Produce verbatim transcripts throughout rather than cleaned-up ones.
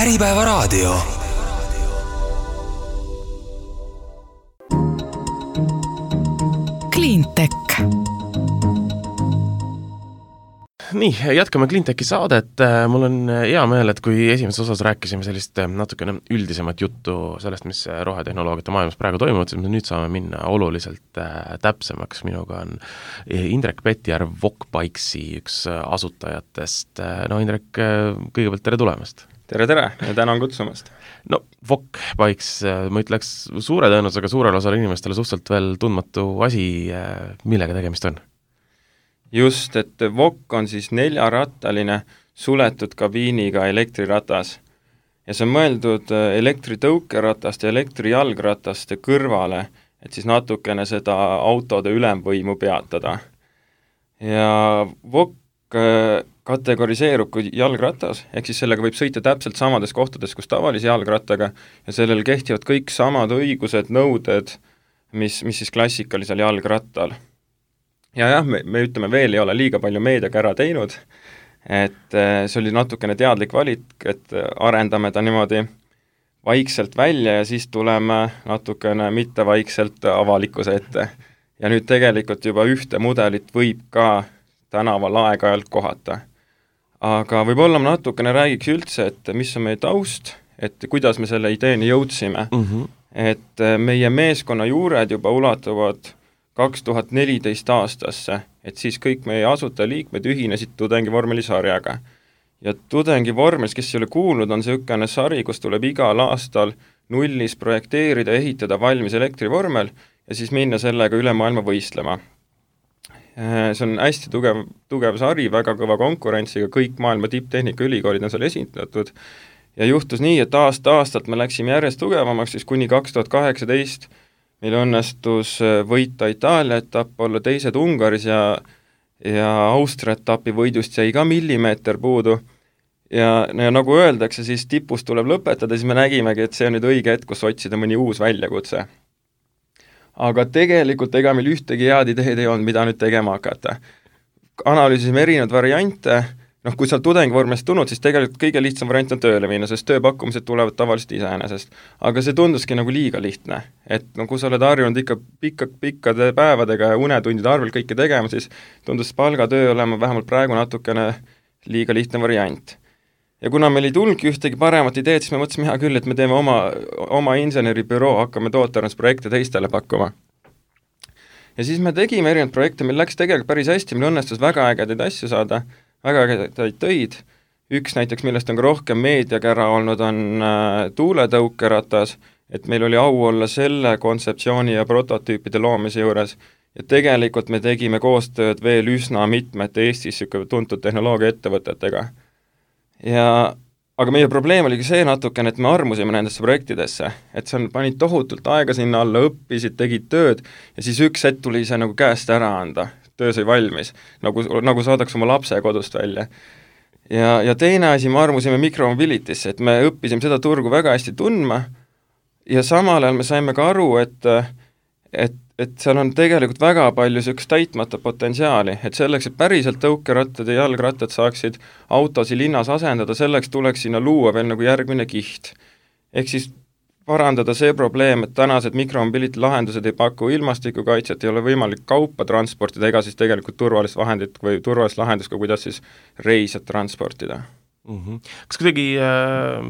Äripäevaraadio. Cleantech. Nii, jätkame Cleantechi saadet. Mul on hea meel, et kui esimeses osas rääkisime sellist natukene üldisemat juttu sellest, mis rohetehnoloogiate maailmas praegu toimuvad, siis me nüüd saame minna oluliselt täpsemaks. Minuga on Indrek Petjärv, Wokbikesi üks asutajatest. No Indrek, kõigepealt tere tulemast! Tere, tere ja tänan kutsumast. No, Wokbikes, ma ütleks suure tõenäosusega suurel osal inimestele suhteliselt veel tundmatu asi, millega tegemist on. Just, et Wok on siis neljarattaline suletud kabiiniga elektriratas. Ja see on mõeldud elektritõukeratast ja elektrijalgrataste kõrvale, et siis natukene seda autode ülemvõimu peatada. Ja Wok kategoriseerub kui jalgratas, ehk siis sellega võib sõita täpselt samades kohtades, kus tavalise jalgrattaga, ja sellel kehtivad kõik samad õigused, nõuded, mis, mis siis klassikalisel jalgrattal. Ja jah, me, me ütleme veel ei ole liiga palju meediaga ära teinud, et see oli natukene teadlik valik, et arendame ta niimoodi vaikselt välja ja siis tuleme natukene mitte vaikselt avalikkuse ette. Ja nüüd tegelikult juba ühte mudelit võib ka tänaval aeg-ajalt kohata. Aga võib-olla ma natukene räägiks üldse, et mis on meie taust, et kuidas me selle ideeni jõudsime. Mm-hmm. Et meie meeskonna juured juba ulatuvad kaks tuhat neliteist aastasse, et siis kõik meie asutajaliikmed ühinesid tudengivormelisarjaga. Ja tudengivormelis, kes ei ole kuulnud, on selline sari, kus tuleb igal aastal nullis projekteerida, ehitada valmis elektrivormel ja siis minna sellega üle maailma võistlema. See on hästi tugev, tugev sari, väga kõva konkurentsiga, kõik maailma tipptehnika ülikoolid on seal esindatud. Ja juhtus nii, et aasta-aastalt me läksime järjest tugevamaks, siis kuni kaks tuhat kaheksateist meil õnnestus võita Itaalia etapp, olla teised Ungaris ja, ja Austria etapi võidust jäi ka millimeeter puudu. Ja, ja nagu öeldakse, siis tipus tuleb lõpetada, siis me nägimegi, et see on nüüd õige hetk, kus otsida mõni uus väljakutse. Aga tegelikult ega meil ühtegi head ideed ei olnud, mida nüüd tegema hakata. Analüüsisime erinevad variante, noh, kui sa tudengivormest tulnud, siis tegelikult kõige lihtsam variant on tööle minna, sest tööpakkumised tulevad tavaliselt iseenesest. Aga see tunduski nagu liiga lihtne, et no, kui sa oled harjunud ikka pikka, pikkade päevadega ja unetundide arvel kõike tegema, siis tundus palgatöö olema vähemalt praegu natukene liiga lihtne variant. Ja kuna meil ei tulnudki ühtegi paremat ideed, siis me mõtlesime hea küll, et me teeme oma, oma inseneribüroo, hakkame tootarendusprojekte teistele pakkuma. Ja siis me tegime erinevad projekte, meil läks tegelikult päris hästi, meil õnnestus väga ägedaid asju saada, väga ägedaid töid. Üks näiteks, millest on ka rohkem meediaga ära olnud, on äh, tuuletõukeratas, et meil oli au olla selle kontseptsiooni ja prototüüpide loomise juures. Ja tegelikult me tegime koostööd veel üsna mitmete Eestis tuntud tehnoloogia ettevõtetega. Ja, aga meie probleem oli see natukene, et me armusime nendesse projektidesse, et see on, panid tohutult aega sinna alla, õppisid, tegid tööd ja siis üks hetk tuli see nagu käest ära anda, töö sai valmis, nagu, nagu saadaks oma lapse kodust välja. Ja, ja teine asi, me armusime mikromobilitisse, et me õppisime seda turgu väga hästi tundma ja samal ajal me saime ka aru, et, et et seal on tegelikult väga palju sellist täitmata potentsiaali, et selleks, et päriselt tõukerattad ja jalgrattad saaksid autosi linnas asendada, selleks tuleks sinna luua veel nagu järgmine kiht. Ehk siis parandada see probleem, et tänased mikromobility lahendused ei paku ilmastikukaitset, ei ole võimalik kaupa transportida, ega siis tegelikult turvalist vahendit või turvalist lahendust, ka kuidas siis reisjad transportida. Mm-hmm. Kas kuidagi äh,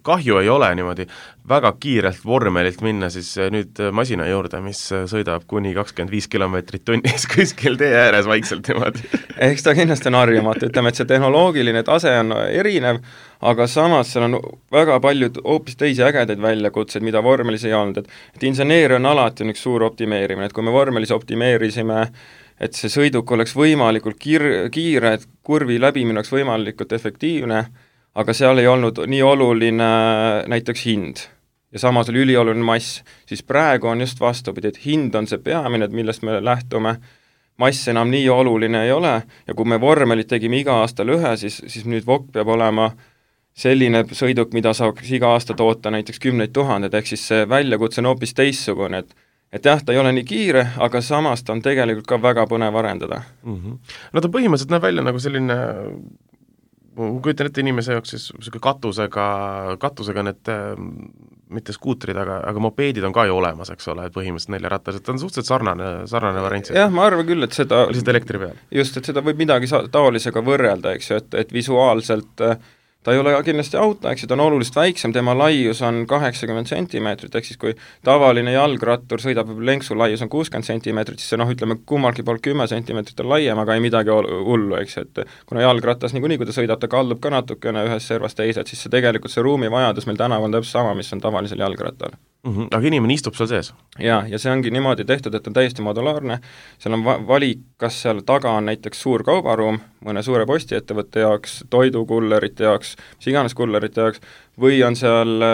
kahju ei ole niimoodi väga kiirelt vormelilt minna siis nüüd masina juurde, mis sõidab kuni kakskümmend viis kilomeetrit tunnis kuskil tee ääres vaikselt niimoodi? Eks ta kindlasti on harjumatu, ütleme, et see tehnoloogiline tase on erinev, aga samas seal on väga palju hoopis teisi ägedaid väljakutseid, mida vormelis ei olnud, et, et inseneeria on alati üks suur optimeerimine, et kui me vormelis optimeerisime, et see sõiduk oleks võimalikult kiir, kiire, et kurvi läbimine oleks võimalikult efektiivne, aga seal ei olnud nii oluline näiteks hind ja samas oli ülioluline mass, siis praegu on just vastupidi, et hind on see peamine, millest me lähtume, mass enam nii oluline ei ole ja kui me vormelit tegime iga aastal ühe, siis, siis nüüd Wok peab olema selline sõiduk, mida saaks iga aasta toota näiteks kümneid tuhanded, ehk siis see väljakutse on hoopis teissugune, et et jah, ta ei ole nii kiire, aga samas ta on tegelikult ka väga põnev arendada. Mm-hmm. No ta põhimõtteliselt näeb välja nagu selline ma kujutan ette inimese jaoks siis selline katusega, katusega need mitte skuutrid, aga, aga mopeedid on ka ju olemas, eks ole, et põhimõtteliselt neljaratas, et on suhteliselt sarnane, sarnane variant. Jah, ma arvan küll, et seda lihtsalt elektri peal. Just, et seda võib midagi taolisega võrrelda, eks ju, et, et visuaalselt ta ei ole kindlasti auto, eks ju, ta on oluliselt väiksem, tema laius on kaheksakümmend sentimeetrit, ehk siis kui tavaline jalgrattur sõidab lenksu laius on kuuskümmend sentimeetrit, siis see noh, ütleme kummalgi pool kümme sentimeetrit on laiem, aga ei midagi hullu, eks ju, et kuna jalgrattas niikuinii, kui ta sõidab, ta kaldub ka natukene ühest servast teised, siis see tegelikult see ruumivajadus meil tänaval on täpselt sama, mis on tavalisel jalgrattal. Mm-hmm. Aga inimene istub seal sees? Jaa, ja see ongi niimoodi tehtud, et on täiesti modulaarne, seal on va- valik, kas seal taga on näiteks suur kaubaruum mõne suure postiettevõtte jaoks, toidukullerite jaoks, mis iganes kullerite jaoks, või on seal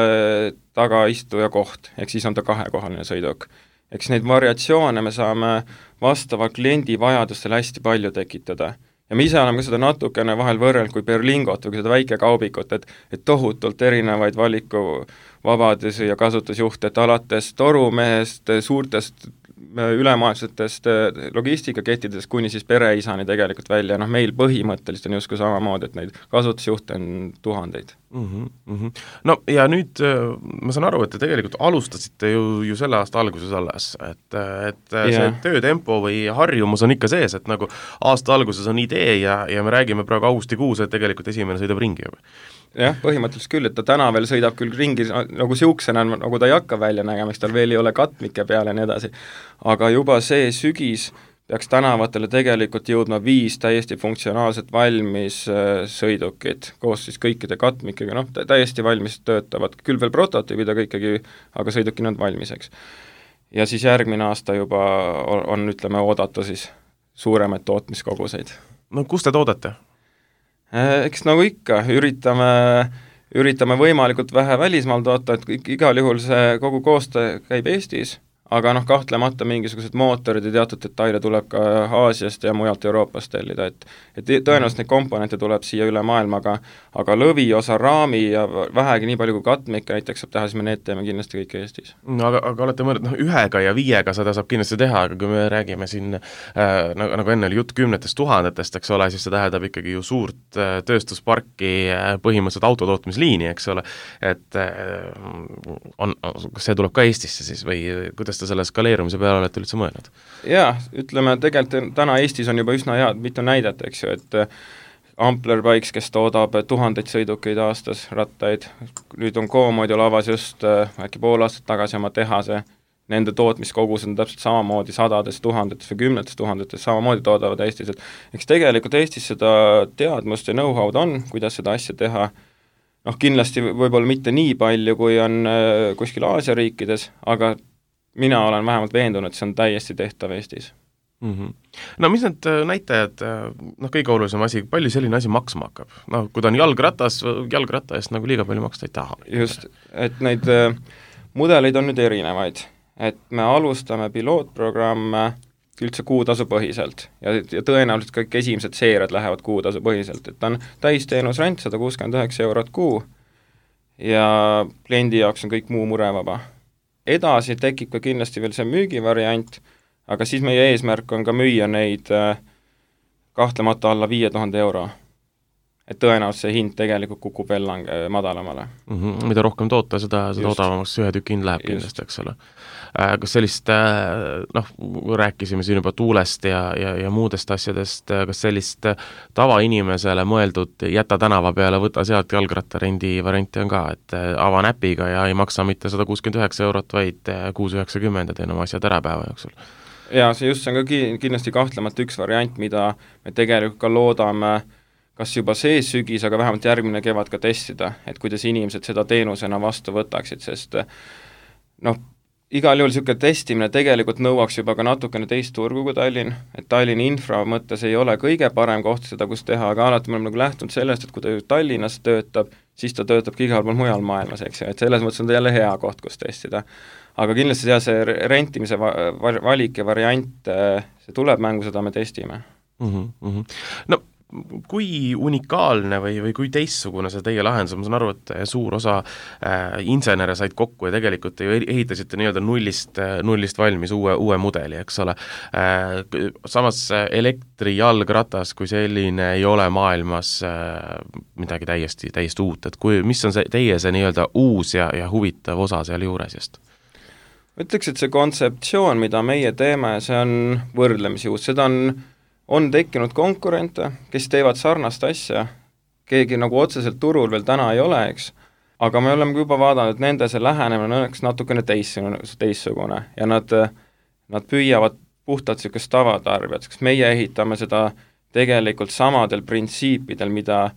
taga istuja koht, ehk siis on ta kahekohaline sõiduk. Eks neid variatsioone me saame vastava kliendi vajadustele hästi palju tekitada. Ja me ise oleme ka seda natukene vahel võrreld kui Berlingot või seda väike kaubikut, et, et tohutult erinevaid valiku vabadusi ja kasutusjuhte, et alates torumehest, suurtest ülemaailmsetest logistikakettidest kuni siis pereisani tegelikult välja, noh meil põhimõtteliselt on justkui samamoodi, et neid kasutusjuhte on tuhandeid. Mm-hmm, mm-hmm. No ja nüüd ma saan aru, et te tegelikult alustasite ju, ju selle aasta alguses alles, et, et yeah. see töötempo või harjumus on ikka sees, et nagu aasta alguses on idee ja, ja me räägime praegu augustikuus, et tegelikult esimene sõidab ringi juba. Jah, põhimõtteliselt küll, et ta täna veel sõidab küll ringi, nagu siuksena, nagu ta ei hakka välja nägema, eks tal veel ei ole katmike peale ja nii edasi. Aga juba see sügis peaks tänavatele tegelikult jõudma viis täiesti funktsionaalselt valmis sõidukid, koos siis kõikide katmikega, noh, täiesti valmis töötavad, küll veel prototüübid, aga ikkagi, aga sõidukina on valmiseks. Ja siis järgmine aasta juba on, on, ütleme, oodata siis suuremaid tootmiskoguseid. No kus te toodate? Eks nagu ikka, üritame, üritame võimalikult vähe välismaal toota, et igal juhul see kogu koostöö käib Eestis, aga noh, kahtlemata mingisugused mootorid ja teatud detaile tuleb ka Aasiast ja mujalt Euroopast tellida, et et tõenäoliselt neid komponente tuleb siia üle maailma, aga, aga lõviosa raami ja vähegi nii palju kui katmikke näiteks saab teha, siis me need teeme kindlasti kõik Eestis. No aga, aga olete mõelnud, noh ühega ja viiega seda saab kindlasti teha, aga kui me räägime siin äh, nagu, nagu enne oli jutt kümnetest tuhandetest, eks ole, siis see tähendab ikkagi ju suurt äh, tööstusparki äh, põhimõtteliselt autotootmisliini, eks ole, et äh, on, kas see tuleb ka Eestisse siis või kuidas te selle skaleerumise peale olete üldse mõelnud? Jaa, ütleme, tegelikult täna Eestis on juba üsna head mitu näidet, eks ju, et Ampler Bikes, kes toodab tuhandeid sõidukeid aastas, rattaid, nüüd on Comodio lavas just äkki pool aastat tagasi oma tehase, nende tootmiskogus on täpselt samamoodi sadades tuhandetes või kümnetes tuhandetes, samamoodi toodavad Eestis, et eks tegelikult Eestis seda teadmust ja know-how'd on, kuidas seda asja teha, noh kindlasti võib-olla mitte nii palju, kui on kuskil Aasia riikides, aga mina olen vähemalt veendunud, et see on täiesti tehtav Eestis. Mm-hmm. No mis need näitajad, noh kõige olulisem asi, palju selline asi maksma hakkab? Noh, kui ta on jalgratas, jalgratta eest nagu liiga palju maksta ei taha. Just, et neid äh, mudeleid on nüüd erinevaid, et me alustame pilootprogramme üldse kuutasu põhiselt ja, ja tõenäoliselt kõik esimesed seeriad lähevad kuutasu põhiselt, et ta on täisteenusrent sada kuuskümmend üheksa eurot kuu ja kliendi jaoks on kõik muu murevaba. Edasi tekib ka kindlasti veel see müügivariant, aga siis meie eesmärk on ka müüa neid kahtlemata alla viie tuhande euro. Et tõenäoliselt see hind tegelikult kukub veel lang- madalamale. Mm-hmm. Mida rohkem toota, seda, seda odavamaks ühe tükk hind läheb kindlasti, eks ole. Kas sellist, noh, rääkisime siin juba tuulest ja, ja, ja muudest asjadest, kas sellist tavainimesele mõeldud jäta tänava peale, võta sealt jalgrattarendi varianti on ka, et ava näpiga ja ei maksa mitte sada kuuskümmend üheksa eurot, vaid kuus üheksakümmend ja teen oma asjad ära päeva jooksul. Ja see just see on ka kindlasti kahtlemata üks variant, mida me tegelikult ka loodame kas juba see sügis, aga vähemalt järgmine kevad ka testida, et kuidas inimesed seda teenusena vastu võtaksid, sest noh, igal juhul niisugune testimine tegelikult nõuaks juba ka natukene teist turgu kui Tallinn, et Tallinni infra mõttes ei ole kõige parem koht seda, kus teha, aga alati me oleme nagu lähtunud sellest, et kui ta Tallinnas töötab, siis ta töötab ka igal pool mujal maailmas, eks ju, et selles mõttes on ta jälle hea koht, kus testida. Aga kindlasti jah, see rentimise valik ja variant, see tuleb mängu, seda me testime. Mm-hmm. No kui unikaalne või, või kui teistsugune see teie lahendus, ma saan aru, et suur osa äh, insenere said kokku ja tegelikult ju ehitasite nii-öelda nullist, nullist valmis uue, uue mudeli, eks ole äh,. Samas elektrijalgratas kui selline ei ole maailmas äh, midagi täiesti, täiesti uut, et kui, mis on see teie see nii-öelda uus ja, ja huvitav osa seal juures just? Ütleks, et see kontseptsioon, mida meie teeme, see on võrdlemisi uus, seda on on tekkinud konkurente, kes teevad sarnast asja, keegi nagu otseselt turul veel täna ei ole, eks, aga me oleme juba vaadanud, et nende see lähenemine on õnneks natukene teistsugune, teistsugune ja nad, nad püüavad puhtalt niisugust tavatarbijat, sest meie ehitame seda tegelikult samadel printsiipidel, mida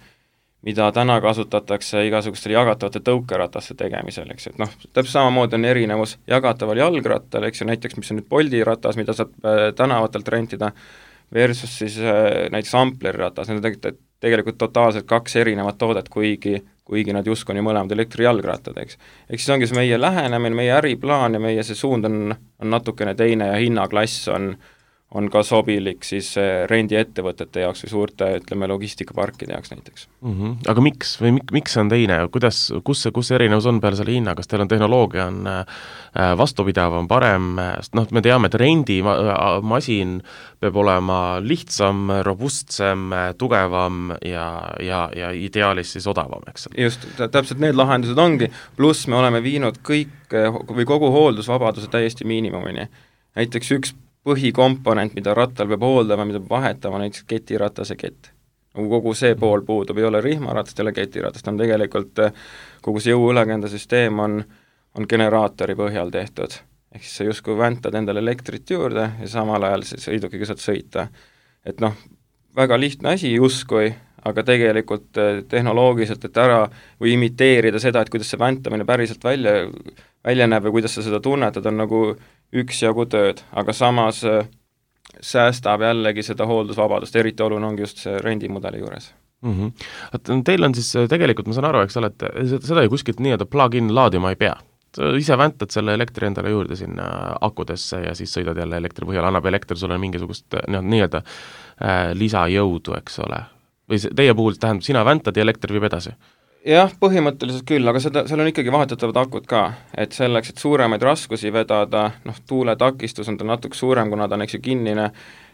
mida täna kasutatakse igasugustel jagatavate tõukerataste tegemisel, eks, et noh, täpselt samamoodi on erinevus jagataval jalgrattal, eks ju, näiteks mis on nüüd Bolti ratas, mida saab tänavatelt rentida, versus siis äh, näiteks Ampleri ratas, need on tegelikult, tegelikult totaalselt kaks erinevat toodet, kuigi, kuigi nad justkui on ju mõlemad elektrijalgrattad, eks. Eks siis ongi see meie lähenemine, meie äriplaan ja meie see suund on, on natukene teine ja hinnaklass on, on ka sobilik siis rendiettevõtete jaoks või suurte, ütleme, logistikaparkide jaoks näiteks. Mm -hmm. Aga miks või mik, miks see on teine, kuidas, kus see, kus see erinevus on peale selle hinna, kas teil on tehnoloogia on vastupidavam, parem, sest noh, me teame, et rendimasin peab olema lihtsam, robustsem, tugevam ja, ja, ja ideaalis siis odavam, eks. Just, täpselt need lahendused ongi, pluss me oleme viinud kõik või kogu hooldusvabaduse täiesti miinimumini. Näiteks üks põhikomponent, mida rattal peab hooldama, mida peab vahetama, näiteks ketiratase kett. Kogu see pool puudub, ei ole rihmaratast, ei ole ketiratast, on tegelikult kogu see jõuülekandesüsteem on, on generaatori põhjal tehtud. Ehk siis sa justkui väntad endale elektrit juurde ja samal ajal sõidukiga saad sõita. Et noh, väga lihtne asi justkui, aga tegelikult tehnoloogiliselt, et ära või imiteerida seda, et kuidas see väntamine päriselt välja, välja näeb või kuidas sa seda tunnetad, on nagu üksjagu tööd, aga samas säästab jällegi seda hooldusvabadust, eriti oluline ongi just see rendimudeli juures. Mm -hmm. Teil on siis tegelikult, ma saan aru, eks ole, et seda ju kuskilt nii-öelda plug-in laadima ei pea. Ise väntad selle elektri endale juurde sinna akudesse ja siis sõidad jälle elektri põhjal, annab elekter sulle mingisugust nii-öelda äh, lisajõudu, eks ole. Või see, teie puhul tähendab, sina väntad ja elekter viib edasi? Jah, põhimõtteliselt küll, aga seda, seal on ikkagi vahetatavad akud ka, et selleks, et suuremaid raskusi vedada, noh, tuuletakistus on ta natuke suurem, kuna ta on eks ju kinnine,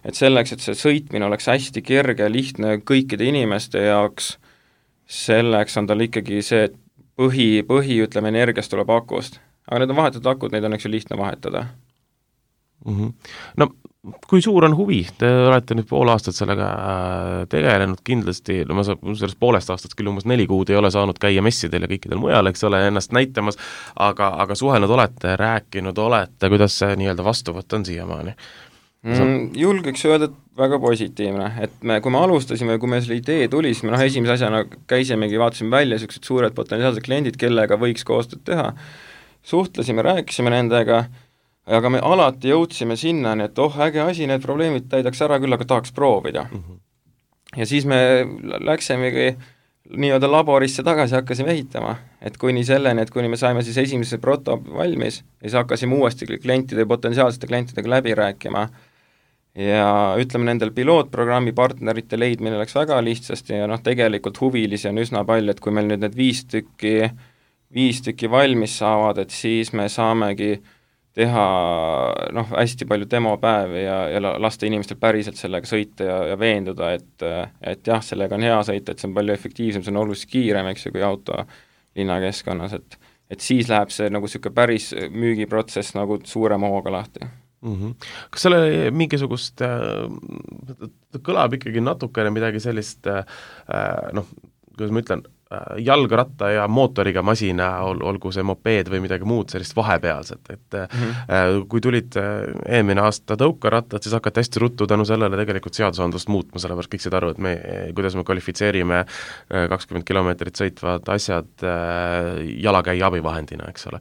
et selleks, et see sõitmine oleks hästi kerge ja lihtne kõikide inimeste jaoks, selleks on tal ikkagi see, et põhi, põhi, ütleme, energiast tuleb akust. Aga need on vahetatud akud, neid on eks ju lihtne vahetada. Mm -hmm. No kui suur on huvi, te olete nüüd pool aastat sellega tegelenud kindlasti, no ma saan sellest poolest aastast küll umbes neli kuud ei ole saanud käia messidel ja kõikidel mujal, eks ole, ennast näitamas, aga, aga suhelnud olete, rääkinud olete, kuidas see nii-öelda vastuvõtt on siiamaani? Mm, julgeks öelda, et väga positiivne, et me, kui me alustasime, kui me selle idee tuli, siis me noh, esimese asjana käisimegi, vaatasime välja niisugused suured potentsiaalsed kliendid, kellega võiks koostööd teha, suhtlesime, rääkisime nendega, aga me alati jõudsime sinnani, et oh, äge asi, need probleemid täidaks ära küll, aga tahaks proovida mm. -hmm. Ja siis me läksimegi nii-öelda laborisse tagasi, hakkasime ehitama, et kuni selleni, et kuni me saime siis esimese proto valmis ja siis hakkasime uuesti klientide, potentsiaalsete klientidega läbi rääkima ja ütleme, nendel pilootprogrammi partnerite leidmine läks väga lihtsasti ja noh, tegelikult huvilisi on üsna palju, et kui meil nüüd need viis tükki, viis tükki valmis saavad, et siis me saamegi teha noh, hästi palju demopäevi ja, ja lasta inimestel päriselt sellega sõita ja, ja veenduda, et, et jah, sellega on hea sõita, et see on palju efektiivsem, see on oluliselt kiirem, eks ju, kui auto linnakeskkonnas, et, et siis läheb see nagu niisugune päris müügiprotsess nagu suurema hooga lahti. Mm -hmm. Kas selle mingisugust äh,, kõlab ikkagi natukene midagi sellist äh, noh, kuidas ma ütlen, jalgratta ja mootoriga masina, ol, olgu see mopeed või midagi muud sellist vahepealset, et mm -hmm. kui tulid eelmine aasta tõukerattad, siis hakati hästi ruttu tänu sellele tegelikult seadusandlust muutma, sellepärast kõik said aru, et me, kuidas me kvalifitseerime kakskümmend kilomeetrit sõitvad asjad jalakäija abivahendina, eks ole.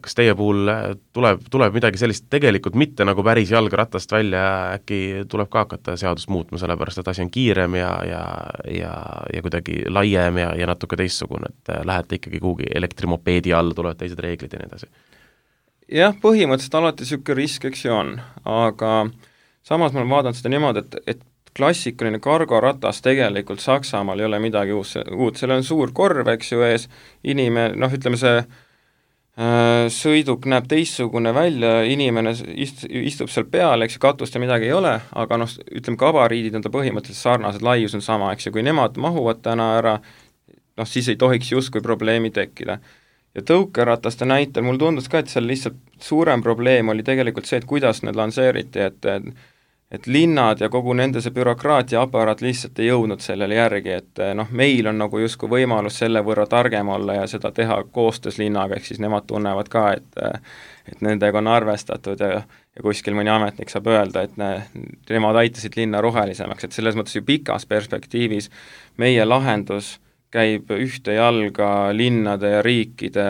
Kas teie puhul tuleb, tuleb midagi sellist tegelikult mitte nagu päris jalgratast välja, äkki tuleb ka hakata seadust muutma, sellepärast et asi on kiirem ja, ja, ja, ja kuidagi laiem ja ja natuke teistsugune, et lähete ikkagi kuhugi elektrimopeedi all, tulevad teised reeglid ja nii edasi? Jah, põhimõtteliselt alati niisugune risk, eks ju on, aga samas ma olen vaadanud seda niimoodi, et, et klassikaline kargoratas tegelikult Saksamaal ei ole midagi uus, uut, seal on suur korv, eks ju, ees, inimene, noh, ütleme see äh, sõiduk näeb teistsugune välja, inimene ist, istub seal peal, eks ju, katust ja midagi ei ole, aga noh, ütleme, gabariidid on ta põhimõtteliselt sarnased, laius on sama, eks ju, kui nemad mahuvad täna ära, noh, siis ei tohiks justkui probleemi tekkida. Ja tõukerataste näitel mul tundus ka, et seal lihtsalt suurem probleem oli tegelikult see, et kuidas need lanseeriti, et et linnad ja kogu nende see bürokraatia aparaat lihtsalt ei jõudnud sellele järgi, et noh, meil on nagu justkui võimalus selle võrra targem olla ja seda teha koostöös linnaga, ehk siis nemad tunnevad ka, et et nendega on arvestatud ja, ja kuskil mõni ametnik saab öelda, et ne, nemad aitasid linna rohelisemaks, et selles mõttes ju pikas perspektiivis meie lahendus käib ühte jalga linnade ja riikide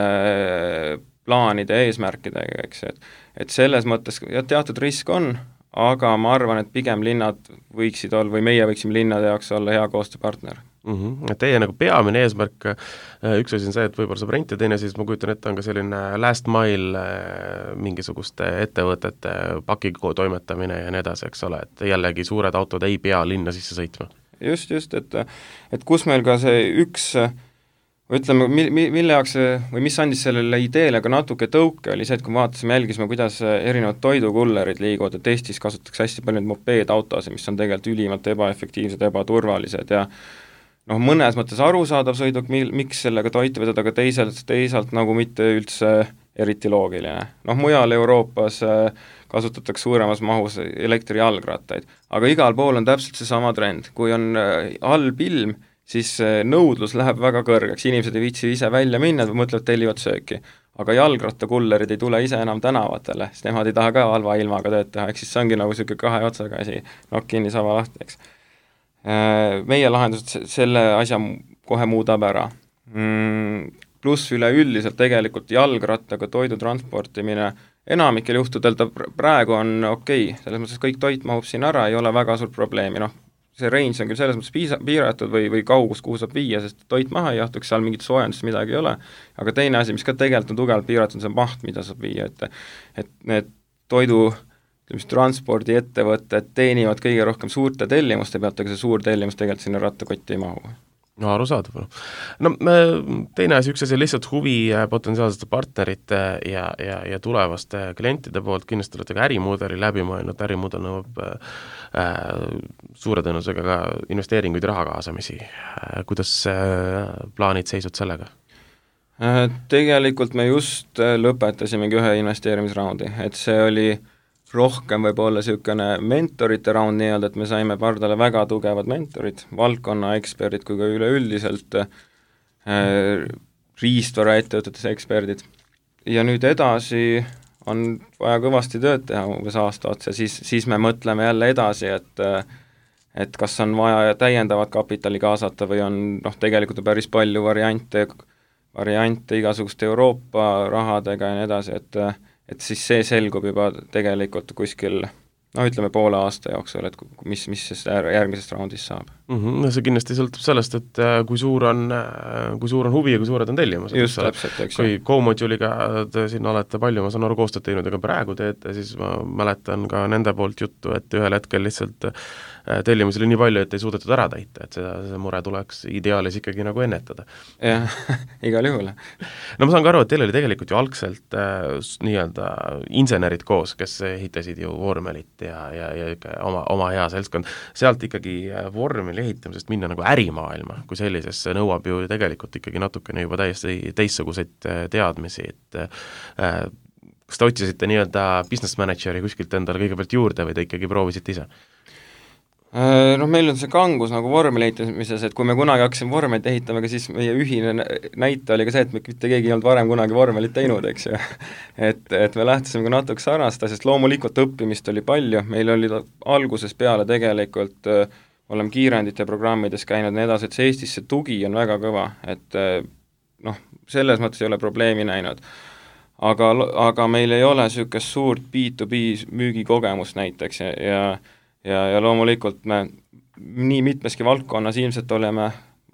plaanide ja eesmärkidega, eks, et et selles mõttes ja teatud risk on, aga ma arvan, et pigem linnad võiksid olla, või meie võiksime linnade jaoks olla hea koostööpartner. Mm -hmm. Teie nagu peamine eesmärk, üks asi on see, et võib-olla saab renti, teine siis ma kujutan ette, on ka selline last mile mingisuguste ettevõtete pakiko toimetamine ja nii edasi, eks ole, et jällegi suured autod ei pea linna sisse sõitma. Just, just, et et kus meil ka see üks ütleme, mi-, mi-, mille jaoks see, või mis andis sellele ideele ka natuke tõuke, oli see, et kui me vaatasime, jälgisime, kuidas erinevad toidukullerid liiguvad, et Eestis kasutatakse hästi palju mopeedautosid, mis on tegelikult ülimalt ebaefektiivsed, ebaturvalised ja noh, mõnes mõttes arusaadav sõiduk, mil-, miks sellega toitu vedada, aga teisalt, teisalt nagu mitte üldse eriti loogiline. Noh, mujal Euroopas kasutatakse suuremas mahus elektrijalgrattaid, aga igal pool on täpselt see sama trend, kui on halb ilm, siis nõudlus läheb väga kõrgeks, inimesed ei viitsi ise välja minna, mõtlevad, tellivad sööki. Aga jalgrattakullerid ei tule ise enam tänavatele, sest nemad ei taha ka halva ilmaga tööd teha, eks siis see ongi nagu niisugune kahe otsaga asi, nokk kinni, saba lahti, eks. Meie lahendused selle asja kohe muudab ära. Pluss üleüldiselt tegelikult jalgrattaga toidu transportimine enamikel juhtudel ta praegu on okei okay., selles mõttes kõik toit mahub siin ära, ei ole väga suurt probleemi, noh, see range on küll selles mõttes piisa, piiratud või, või kaugus, kuhu saab viia, sest toit maha ei jahtuks, seal mingit soojendust midagi ei ole, aga teine asi, mis ka tegelikult on tugevalt piiratud, on see maht, mida saab viia, et et need toidu mis transpordiettevõtted teenivad kõige rohkem suurte tellimuste pealt, aga see suur tellimus tegelikult sinna rattakotti ei mahu. No arusaadav. No teine asi, üks asi lihtsalt huvi potentsiaalsete partnerite ja, ja, ja tulevaste klientide poolt, kindlasti olete ka ärimudeli läbi mõelnud, ärimudel nõuab äh, suure tõenäosusega ka investeeringuid ja raha kaasamisi. Äh, kuidas äh, plaanid seisud sellega? Äh, tegelikult me just lõpetasimegi ühe investeerimisraundi, et see oli rohkem võib-olla niisugune mentorite raund nii-öelda, et me saime pardale väga tugevad mentorid, valdkonna eksperdid kui ka üleüldiselt äh, riistvara ettevõtetes eksperdid. Ja nüüd edasi on vaja kõvasti tööd teha umbes aasta otsa, siis, siis me mõtleme jälle edasi, et et kas on vaja täiendavat kapitali kaasata või on noh, tegelikult on päris palju variante, variante igasuguste Euroopa rahadega ja nii edasi, et et siis see selgub juba tegelikult kuskil, noh ütleme poole aasta jooksul, et mis, mis siis järgmisest raundist saab. Mm-hmm. No see kindlasti sõltub sellest, et kui suur on, kui suur on huvi ja kui suured on tellimused. Just täpselt, eks. Kui Co-Moduliga te siin olete palju, ma saan aru, koostööd teinud, aga praegu teete, siis ma mäletan ka nende poolt juttu, et ühel hetkel lihtsalt tellimusi oli nii palju, et ei suudetud ära täita, et seda, see mure tuleks ideaalis ikkagi nagu ennetada. Jah, igal juhul. No ma saan ka aru, et teil oli tegelikult ju algselt äh, nii-öelda insenerid koos, kes ehitasid ju vormelit ja, ja, ja oma, oma hea seltskond. Sealt ikkagi vormeli ehitamisest minna nagu ärimaailma, kui sellisesse nõuab ju tegelikult ikkagi natukene juba täiesti teistsuguseid teadmisi, et äh, kas te otsisite nii-öelda business manageri kuskilt endale kõigepealt juurde või te ikkagi proovisite ise? Noh, meil on see kangus nagu vormeli ehitamises, et kui me kunagi hakkasime vormelit ehitama, siis meie ühine näite oli ka see, et me mitte keegi ei olnud varem kunagi vormelit teinud, eks ju. et, et me lähtusime ka natuke sarnast asjast, loomulikult õppimist oli palju, meil oli alguses peale tegelikult, oleme kiirendite programmides käinud nii edasi, et see Eestis see tugi on väga kõva, et noh, selles mõttes ei ole probleemi näinud. Aga, aga meil ei ole niisugust suurt B to B müügikogemust näiteks ja, ja Ja, ja loomulikult me nii mitmeski valdkonnas ilmselt oleme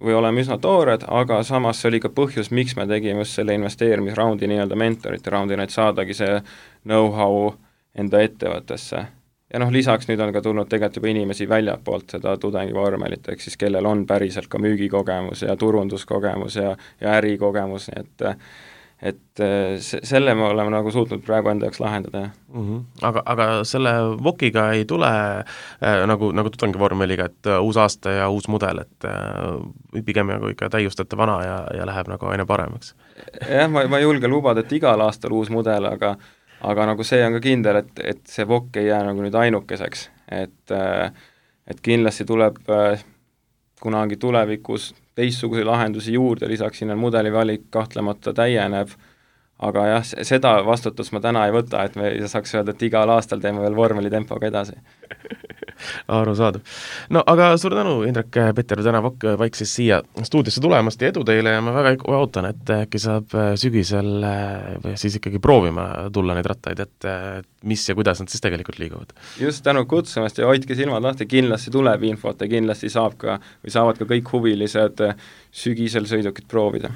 või oleme üsna toored, aga samas see oli ka põhjus, miks me tegime just selle investeerimisraundi nii-öelda mentorite raundina, et saadagi see know-how enda ettevõttesse. ja noh, lisaks nüüd on ka tulnud tegelikult juba inimesi väljapoolt seda tudengivormelit, ehk siis kellel on päriselt ka müügikogemus ja turunduskogemus ja, ja ärikogemus, nii et et se-, selle me oleme nagu suutnud praegu enda jaoks lahendada, jah mm. -hmm. Aga, aga selle Vokiga ei tule äh, nagu, nagu tudengivormeliga, et uh, uus aasta ja uus mudel, et uh, pigem nagu ikka täiustate vana ja, ja läheb nagu aina paremaks? jah, ma, ma ei julge lubada, et igal aastal uus mudel, aga aga nagu see on ka kindel, et, et see Vok ei jää nagu nüüd ainukeseks, et et kindlasti tuleb kunagi tulevikus teistsuguseid lahendusi juurde, lisaks sinna mudeli valik kahtlemata täieneb, aga jah, seda vastutust ma täna ei võta, et me saaks öelda, et igal aastal teeme veel vormeli tempoga edasi. Arusaadav. No aga suur tänu, Indrek, Peter, täna Vok vaikses siia stuudiosse tulemast ja edu teile ja ma väga ootan, et äkki saab sügisel või siis ikkagi proovima tulla neid rattaid, et mis ja kuidas nad siis tegelikult liiguvad. Just, tänu kutsumast ja hoidke silmad lahti, kindlasti tuleb infot ja kindlasti saab ka, või saavad ka kõik huvilised sügisel sõidukit proovida.